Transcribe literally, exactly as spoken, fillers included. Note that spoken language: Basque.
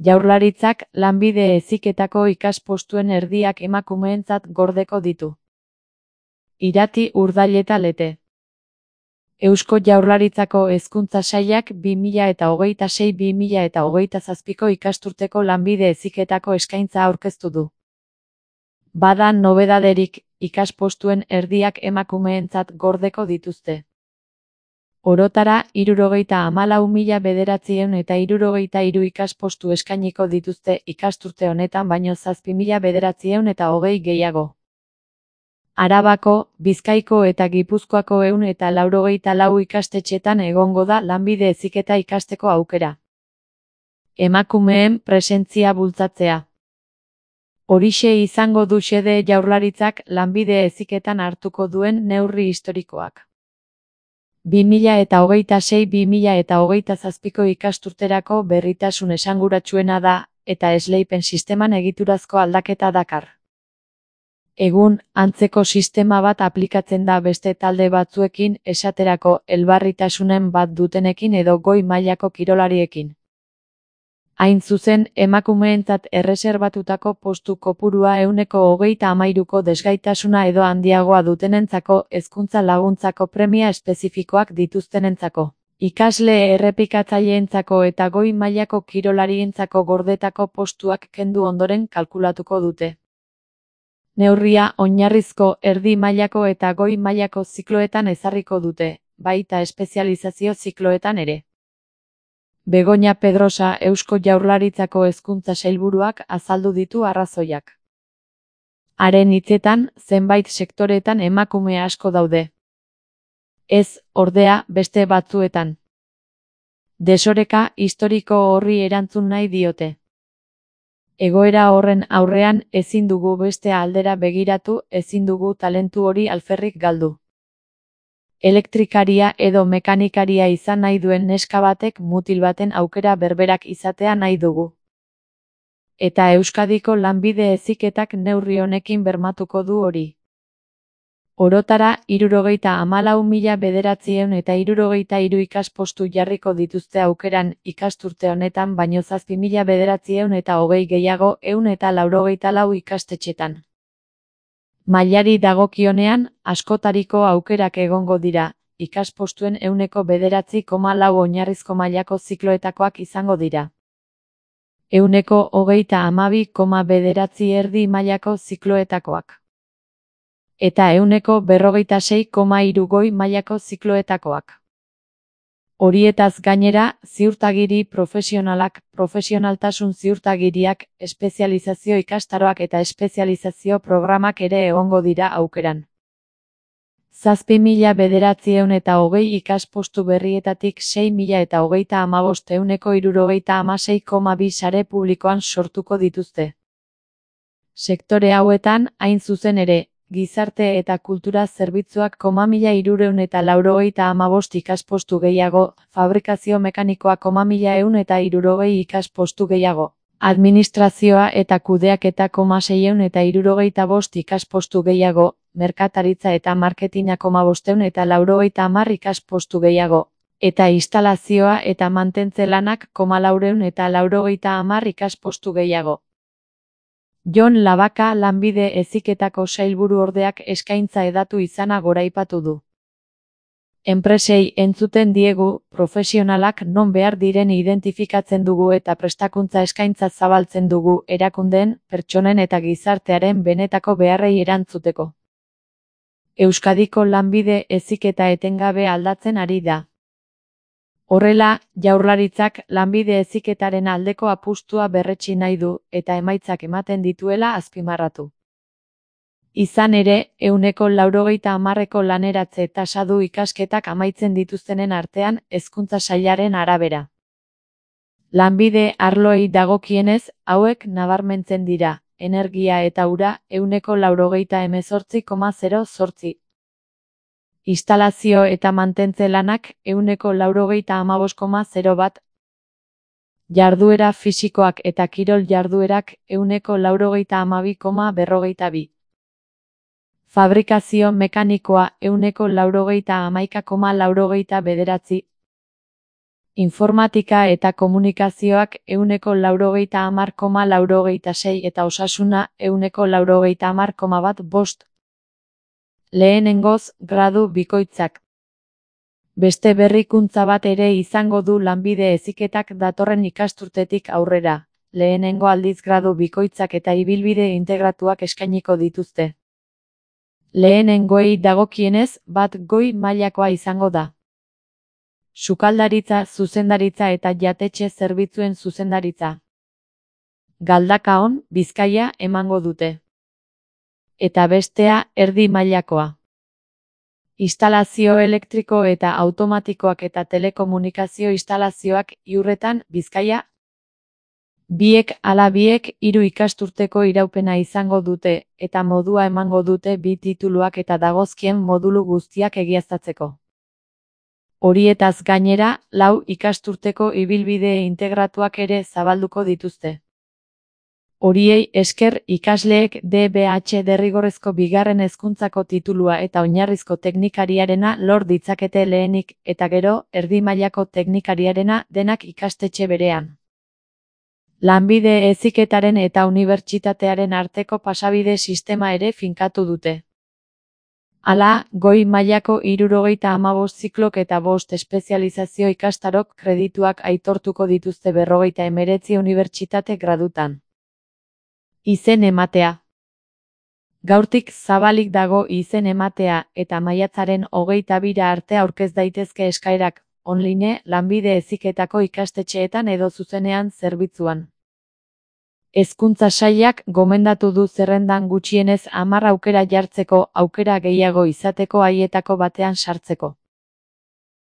Jaurlaritzak lanbide heziketako ikaspostuen erdiak emakumeentzat gordeko ditu. Irati, Urdail eta Lete. Eusko Jaurlaritzako Hezkuntza Sailak bi mila hogeita sei bi mila hogeita zazpiko ikasturteko lanbide heziketako eskaintza aurkeztu du. Bada nobedaderik, ikaspostuen erdiak emakumeentzat gordeko dituzte. Orotara, hirurogeita hamalau mila bederatziehun eta hirurogeita hiru ikaspostu eskainiko dituzte ikasturte honetan baino zazpi mila bederatziehun eta hogei gehiago. Arabako, Bizkaiko eta Gipuzkoako ehun eta laurogeita lau ikastetxetan egongo da lanbide heziketa ikasteko aukera. Emakumeen presentzia bultzatzea. Horixe izango du xede Jaurlaritzak lanbide heziketan hartuko duen neurri historikoak. bi mila hogeita sei bi mila hogeita zazpiko ikasturterako berritasun esanguratsuena da, eta esleipen sisteman egiturazko aldaketa dakar. Egun, antzeko sistema bat aplikatzen da beste talde batzuekin, esaterako elbarritasunen bat dutenekin edo goi mailako kirolariekin. Hain zuzen, emakumeentzat erreserbatutako postu kopurua ehuneko hogeita hamairuko desgaitasuna edo handiagoa dutenentzako hezkuntza laguntzako premia espezifikoak dituztenentzako, ikasle errepikatzaileentzako eta goi mailako kirolarientzako gordetako postuak kendu ondoren kalkulatuko dute. Neurria oinarrizko, erdi mailako eta goi mailako zikloetan ezarriko dute, baita espezializazio zikloetan ere. Begoña Pedrosa Eusko Jaurlaritzako Hezkuntza Sailburuak azaldu ditu arrazoiak. Haren hitzetan, zenbait sektoretan emakume asko daude. Ez, ordea, beste batzuetan. Desoreka historiko horri erantzun nahi diote. Egoera horren aurrean ezin dugu beste aldera begiratu, ezin dugu talentu hori alferrik galdu. Elektrikaria edo mekanikaria izan nahi duen neska batek mutil baten aukera berberak izatea nahi dugu. Eta Euskadiko lanbide heziketak neurri honekin bermatuko du hori. Orotara, hirurogeita hamalau mila bederatziehun eta hirurogeita hiru ikaspostu jarriko dituzte aukeran ikasturte honetan baino zazpi mila bederatziehun eta hogei gehiago ehun eta laurogeita lau ikastetxetan. Mailari dagokionean, askotariko aukerak egongo dira, ikaspostuen ehuneko bederatzi koma lau oinarrizko mailako zikloetakoak izango dira. Ehuneko hogeita hamabi koma bederatzi erdi mailako zikloetakoak. Eta ehuneko berrogeita sei koma hiru goi mailako zikloetakoak. Horietaz gainera, ziurtagiri profesionalak, profesionaltasun ziurtagiriak, espezializazio ikastaroak eta espezializazio programak ere egongo dira aukeran. Zazpi mila bederatziehun eta hogei ikaspostu berrietatik sei mila eta hogeita hamabost ehuneko hirurogeita hamasei koma bi sare publikoan sortuko dituzte. Sektore hauetan, hain zuzen ere, gizarte eta kultura zerbitzuak koma mila hirurehun eta laurogeita hamabost ikaspostu gehiago, fabrikazio mekanikoa koma mila ehun eta hirurogei ikaspostu gehiago, administrazioa eta kudeaketa koma seiehun eta hirurogeita bost ikaspostu gehiago, merkataritza eta marketina koma bostehun eta laurogeita hamar ikaspostu gehiago, eta instalazioa eta mantentze lanak koma laurehun eta laurogeita hamar ikaspostu gehiago. Jon Labaka lanbide heziketako sailburu ordeak eskaintza hedatu izana goraipatu du. Enpresei entzuten diegu, profesionalak non behar diren identifikatzen dugu eta prestakuntza eskaintza zabaltzen dugu erakundeen, pertsonen eta gizartearen benetako beharrei erantzuteko. Euskadiko lanbide heziketa etengabe aldatzen ari da. Horrela, Jaurlaritzak lanbide heziketaren aldeko apustua berretsi nahi du eta emaitzak ematen dituela azpimarratu. Izan ere, ehuneko laurogeita hamarreko laneratze tasa du ikasketak amaitzen dituztenen artean Hezkuntza Sailaren arabera. Lanbide arloei dagokienez, hauek nabarmentzen dira, energia eta ura ehuneko laurogeita hemezortzi koma zero zortzi. Instalazio eta mantentze lanak ehuneko laurogeita hamabost koma zero bat. Jarduera fisikoak eta kirol jarduerak ehuneko laurogeita hamabi koma berrogeita bi. Fabrikazio mekanikoa ehuneko laurogeita hamaika koma laurogeita bederatzi. informatika eta komunikazioak ehuneko laurogeita hamar koma laurogeita sei eta osasuna ehuneko laurogeita hamar koma bat bost. Lehenengoz, gradu bikoitzak. Beste berrikuntza bat ere izango du lanbide heziketak datorren ikasturtetik aurrera. Lehenengo aldiz gradu bikoitzak eta ibilbide integratuak eskainiko dituzte. Lehenengoei dagokienez, bat goi mailakoa izango da. Sukaldaritza, zuzendaritza eta jatetxe zerbitzuen zuzendaritza. Galdakaon, Bizkaia emango dute. Eta bestea, erdi mailakoa. Instalazio elektriko eta automatikoak eta telekomunikazio instalazioak Iurretan, Bizkaia. Biek ala biek hiru ikasturteko iraupena izango dute, eta modua emango dute bi tituluak eta dagozkien modulu guztiak egiaztatzeko. Horietaz gainera, lau ikasturteko ibilbide integratuak ere zabalduko dituzte. Horiei esker ikasleek D B H derrigorrezko bigarren hezkuntzako titulua eta oinarrizko teknikariarena lor ditzakete lehenik, eta gero, erdi mailako teknikariarena denak ikastetxe berean. Lanbide heziketaren eta unibertsitatearen arteko pasabide sistema ere finkatu dute. Hala, goi mailako hirurogeita hamabost ziklok eta bost espezializazio ikastarok kredituak aitortuko dituzte berrogeita hemeretzi unibertsitate gradutan. Izen ematea. Gaurtik zabalik dago izen ematea eta maiatzaren hogeita bira arte aurkez daitezke eskaerak, online, lanbide heziketako ikastetxeetan edo zuzenean zerbitzuan. Hezkuntza sailak gomendatu du zerrendan gutxienez hamar aukera jartzeko, aukera gehiago izateko haietako batean sartzeko.